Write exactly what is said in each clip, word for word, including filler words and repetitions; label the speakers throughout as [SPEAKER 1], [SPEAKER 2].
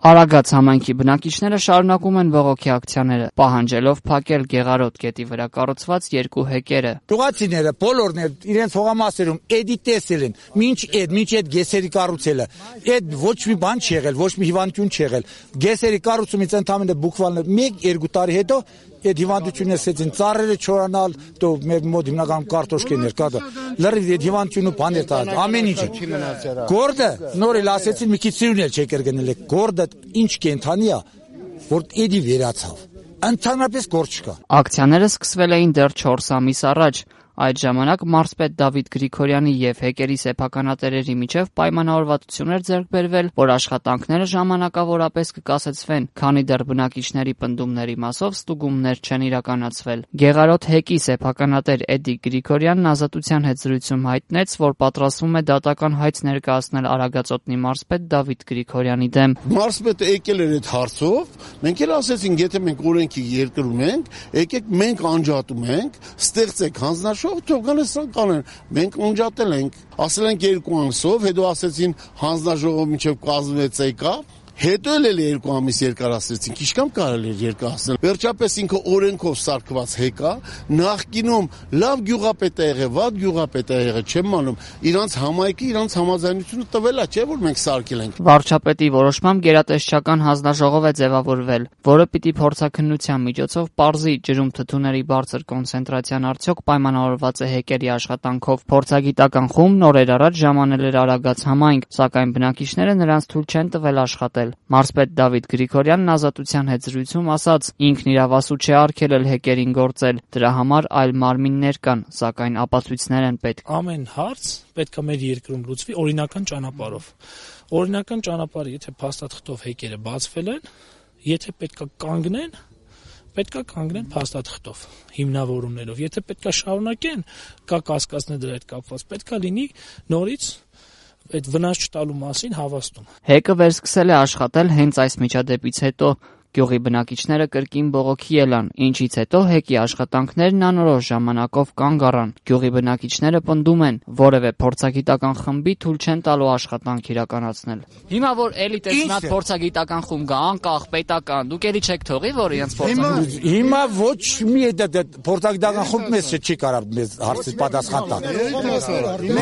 [SPEAKER 1] Արագած համայնքի բնակիչները շարունակում են բողոքի ակցիաները, պահանջելով փակել Գեղարոտ գետի վրա կառուցված երկու հեկերը։
[SPEAKER 2] Գյուղացիները բոլորն էլ իրենց հողամասերում էդի տեսել են, մինչ էդ, մինչ այդ գեսերի կառուցելը, այդ ոչ մի բան չի եղել, ոչ մի հիվանդություն չի եղել։ Գեսերի կառուցումից ընդամենը բուկվալներ մեկ-երկու տարի հետո այդ հիվանդությունը սկսեցին ծառերը չորանալ, դու մեր մոտ հիմնականում կարտոշկեներ կա, լրիվ այդ հիվանդությունը բաներ տալ, ամեն ինչ։ Գորդը նոր էլ ասեցին մի քիչ սիրուն էլ չէ կրգնել, գորդը ինչ կենթանի է, որ էդի վերացավ։ Ընդհանրապես գործ չկա։
[SPEAKER 1] Ակցիաները սկսվել էին դեռ չորս ամիս առաջ։ Այդ ժամանակ մարզպետ Դավիթ Գրիգորյանի եւ հեկերի սեփականատերերի միջև պայմանավորվածություն էր ձեռք բերվել, որ աշխատանքները ժամանակավորապես կկասեցվեն, քանի դեռ բնակիչների պնդումների մասով ստուգումներ չեն իրականացվել։ Գեղարոտ հեկի սեփականատեր Էդի Գրիգորյանն Ազատության հետ զրույցում հայտնեց, որ պատրաստվում է դատական հայց ներկայացնել Արագածոտնի մարզպետ Դավիթ Գրիգորյանի դեմ։
[SPEAKER 3] Մարզպետը եկել էր այդ հարցով, մենք էլ ասեցինք, եթե մենք օրենքի երկրում ենք, եկեք մենք անջատում ենք, ստեղծեք հանձնաժողով թող գալստան կանեն, մենք անջատել ենք, ասել ենք երկու ամսով, հետո ասեցին հանձնաժողով մինչև կազմվեց եկա, հետո էլ երկու ամիս երկարացրեցինք, ինչքան կարելի էր երկարացնել։ Վերջապես ինքը օրենքով սարքված հեկա, նախկինում լավ գյուղապետ է եղել, վատ գյուղապետ է եղել, չեմ անում, իրանց համայնքը իրանց համաձայնությունը տվել է, չէ՞ որ մենք սարքել ենք։
[SPEAKER 1] Վարչապետի որոշմամբ գերատեսչական հանձնաժողով է ձևավորվել, որը պիտի փորձաքննության միջոցով պարզի ջրում թթուների բարձր կոնցենտրացիան արդյոք պայմանավորված է հեկերի աշխատանքով։ Փորձագիտական խումբն օրեր առաջ ժամանել էր Արագած համայնք, սակայն բնակիչները նրանց թույլ չեն տվել աշխատել։ Մարզպետ Դավիթ Գրիգորյանն Ազատության հետ զրույցում ասաց, ինքն իրավասու չէ արգելել հեկերին գործել, դրա համար այլ մարմիններ կան, սակայն ապացույցներ են պետք։
[SPEAKER 4] Ամեն հարց պետք է մեր երկրում լուծվի օրինական ճանապարհով։ Օրինական ճանապարհը, եթե փաստաթղթով հեկերը բացվել են, եթե պետք է կանգնեն, պետք է կանգնեն փաստաթղթով, հիմնավորումներով։ Եթե պետք է շարունակեն, կա կասկածներ դրա հետ կապված, պետք է լինի նորից այդ վնաս չտալու մասին հավաստում։
[SPEAKER 1] Հեկը վերսկսել է աշխատել հենց այս միջադեպից հետո։ Գյուղի բնակիչները կրկին բողոքի ելան, ինչից հետո հեկի աշխատանքներն անորոշ ժամանակով կանգ առան։ Գյուղի բնակիչները պնդում են, որևէ փորձագիտական խմբի թույլ չեն տալու աշխատանք իրականացնել։ Հիմա որ էլի տեսնած փորձագիտական խումբ կա, անկախ պետական, դուք էլի չեք թողի, որ իրենց փորձագիտական։
[SPEAKER 2] Հիմա ոչ մի փորձագիտական խումբ մեզ չի կարող մեզ հարցի պատասխան տալ։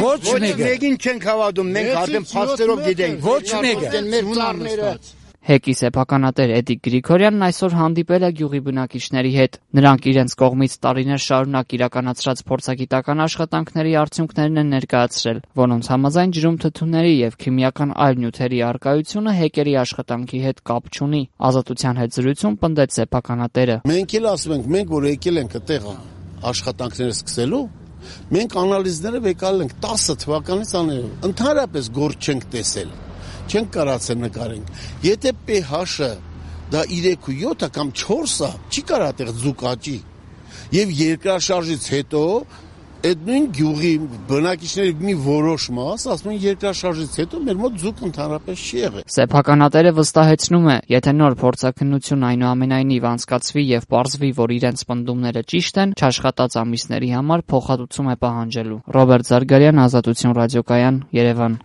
[SPEAKER 2] Ոչ
[SPEAKER 3] մեկին չենք հավատում, մենք արդեն փաստերով գիտենք։
[SPEAKER 2] Ոչ մեկը։
[SPEAKER 1] Հեկի սեփականատեր Էդի Գրիգորյանն այսօր հանդիպել է գյուղի բնակիչների հետ։ Նրանք իրենց կողմից տարիներ շարունակ իրականացրած փորձագիտական աշխատանքների արդյունքներն են ներկայացրել, որոնց համաձայն ջրում թթուների եւ քիմիական այլ նյութերի առկայությունը հեկերի աշխատանքի հետ կապ չունի։ Ազատության հետ զրույցում պնդեց սեփականատերը։
[SPEAKER 3] Մենք էլ ասում ենք, մենք որ եկել ենք այդտեղ աշխատանքները սկսելու, մենք անալիզները եկալ ենք տասը թվականից անել, ընդհանրապես գործ չենք տեսել։ Չենք կարացել նկարենք։ Եթե pH-ը դա երեք ու յոթ կամ չորս է, չի կարա այդտեղ ձուկ աճի։ Եվ երկրաշարժից հետո այդ նույն գյուղի բնակիչների մի որոշ մաս, ասում են երկրաշարժից հետո մեր մոտ ձուկ ընդհանրապես չի եղել։
[SPEAKER 1] Սեփականատերը վստահեցնում է, եթե նոր փորձաքննություն այնուամենայնիվ անցկացվի եւ պարզվի, որ իրենց պնդումները ճիշտ են, չաշխատած ամիսների համար փոխհատուցում է պահանջելու։ Ռոբերտ Զարգարյան, Ազատություն ռադիոկայան, Երևան։